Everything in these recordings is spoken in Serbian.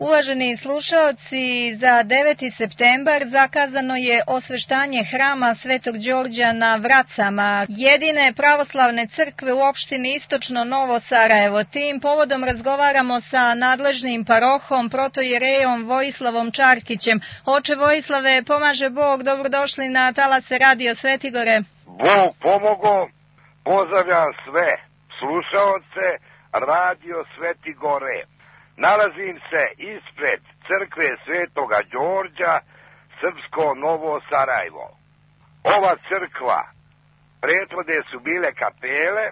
Uvaženi slušaoci, za 9. septembar zakazano je osveštanje hrama Svetog Đorđa na Vracama, jedine pravoslavne crkve u opštini Istočno Novo Sarajevo. Tim povodom razgovaramo sa nadležnim parohom, protojerejom Vojislavom Čarkićem. Oče Vojislave, pomaže Bog, dobrodošli na talase Radio Svetigore. Bog pomogo, pozdravljam sve slušaoce Radio Svetigore. Nalazim se ispred crkve Svetoga Đorđa, Srpsko Novo Sarajevo. Ova crkva, prethodne su bile kapele,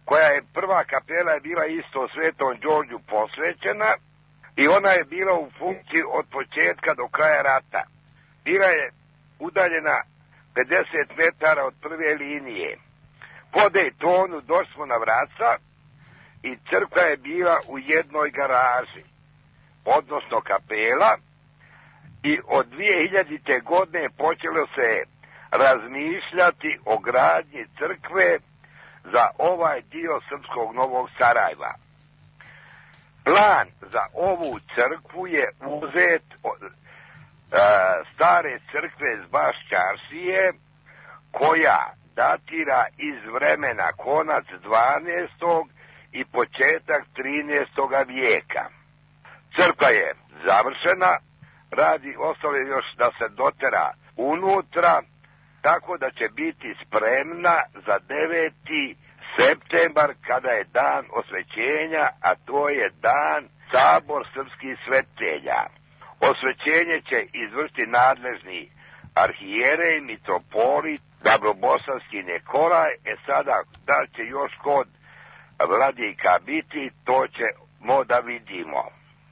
koja je prva kapela je bila isto Svetom Đorđu posvećena i ona je bila u funkciji od početka do kraja rata. Bila je udaljena 50 metara od prve linije. Po Dejtonu došli smo na Vraca i crkva je bila u jednoj garaži, odnosno kapela, i od 2000. godine počelo se razmišljati o gradnji crkve za ovaj dio Srpskog Novog Sarajeva. Plan za ovu crkvu je uzet od stare crkve z Baščaršije, koja datira iz vremena konac 12. i početak 13. vijeka. Crkva je završena, radi ostalo još da se dotera unutra, tako da će biti spremna za 9. septembar, kada je dan osvećenja, a to je dan Sabor srpskih svetelja. Osvećenje će izvršiti nadležni arhijerej, mitropolit, Dabrobosanski Nikolaj. Sada, da će još kod vladika biti, to ćemo da vidimo.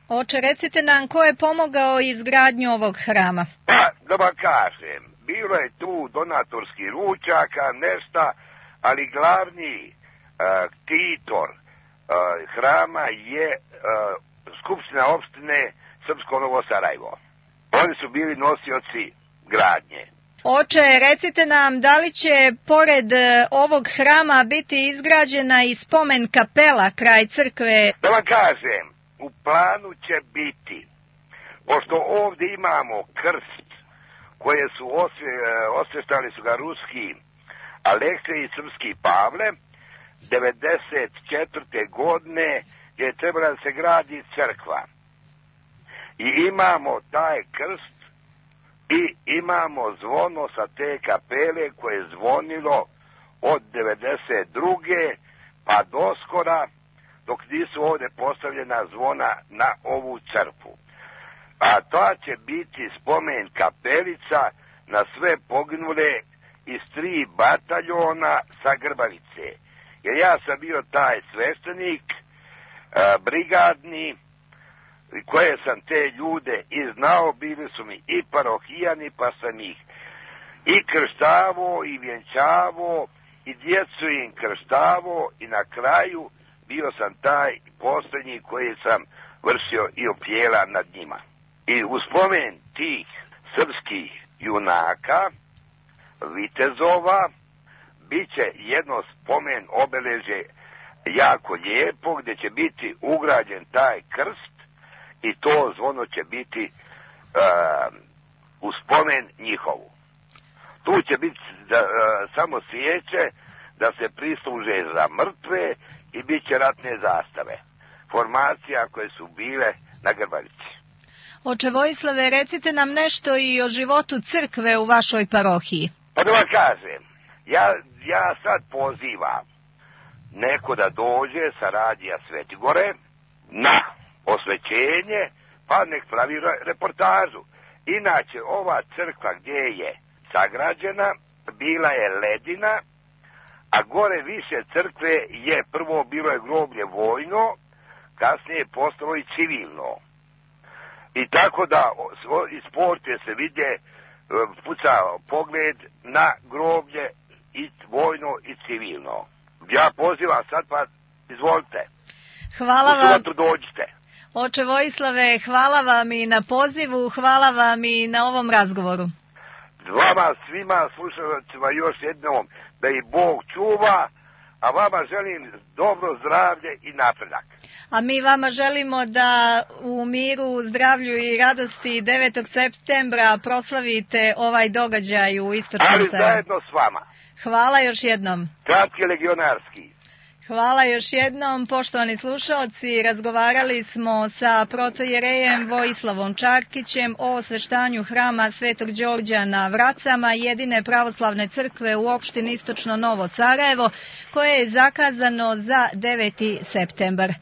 Oče, recite nam, ko je pomogao izgradnju ovog hrama? Pa, da vam kažem, bilo je tu donatorski ručaka, nešta, ali glavni titor hrama je Skupština opštine Srpsko Novo Sarajevo. Oni su bili nosioci gradnje. Oče, recite nam, da li će pored ovog hrama biti izgrađena i spomen kapela kraj crkve? Da vam kažem, u planu će biti, pošto ovdje imamo krst koje su osveštali su ga ruski Aleksej i srpski Pavle, 94. godine je trebala da se gradi crkva. I imamo taj krst i imamo zvono sa te kapele koje je zvonilo od 92. pa doskora, dok nisu ovdje postavljena zvona na ovu crkvu. A to će biti spomen kapelica na sve poginule iz 3 bataljona sa Grbavice. Jer ja sam bio taj sveštenik, brigadni, koje sam te ljude i znao, bili su mi i parohijani, pa sam ih i krštavo, i vjenčavo, i djecu im krštavo, i na kraju bio sam taj posljednji koji sam vršio i opjela nad njima. I u spomen tih srpskih junaka, vitezova, bit će jedno spomen obeležje jako lijepo, gdje će biti ugrađen taj krst i to zvono će biti u spomen njihovu. Tu će biti samo svijeće da se prisluže za mrtve i bit će ratne zastave. Formacija koje su bile na Grbavici. Oče Vojislave, recite nam nešto i o životu crkve u vašoj parohiji. Pa da vam kažem, ja sad pozivam neko da dođe sa Radija Svetigore na osvećenje, pa nek pravi reportažu. Inače, ova crkva gdje je sagrađena, bila je ledina, a gore više crkve je prvo bilo je groblje vojno, kasnije je postalo i civilno. I tako da iz porte se vide, puca pogled na groblje i vojno i civilno. Ja pozivam sad, pa izvolite. Hvala vam. U subotu dođite. Oče Vojislave, hvala vam i na pozivu, hvala vam i na ovom razgovoru. Vama svima slušalcima još jednom da ih Bog čuva, a vama želim dobro zdravlje i napredak. A mi vama želimo da u miru, zdravlju i radosti 9. septembra proslavite ovaj događaj u Istočnom Ali Sarajevu. zajedno s vama. Hvala još jednom. Kratki legionarski. Hvala još jednom, poštovani slušalci. Razgovarali smo sa protojerejem Vojislavom Čarkićem o osveštanju hrama Svetog Đorđa na Vracama, jedine pravoslavne crkve u opštini Istočno Novo Sarajevo, koje je zakazano za 9. septembar.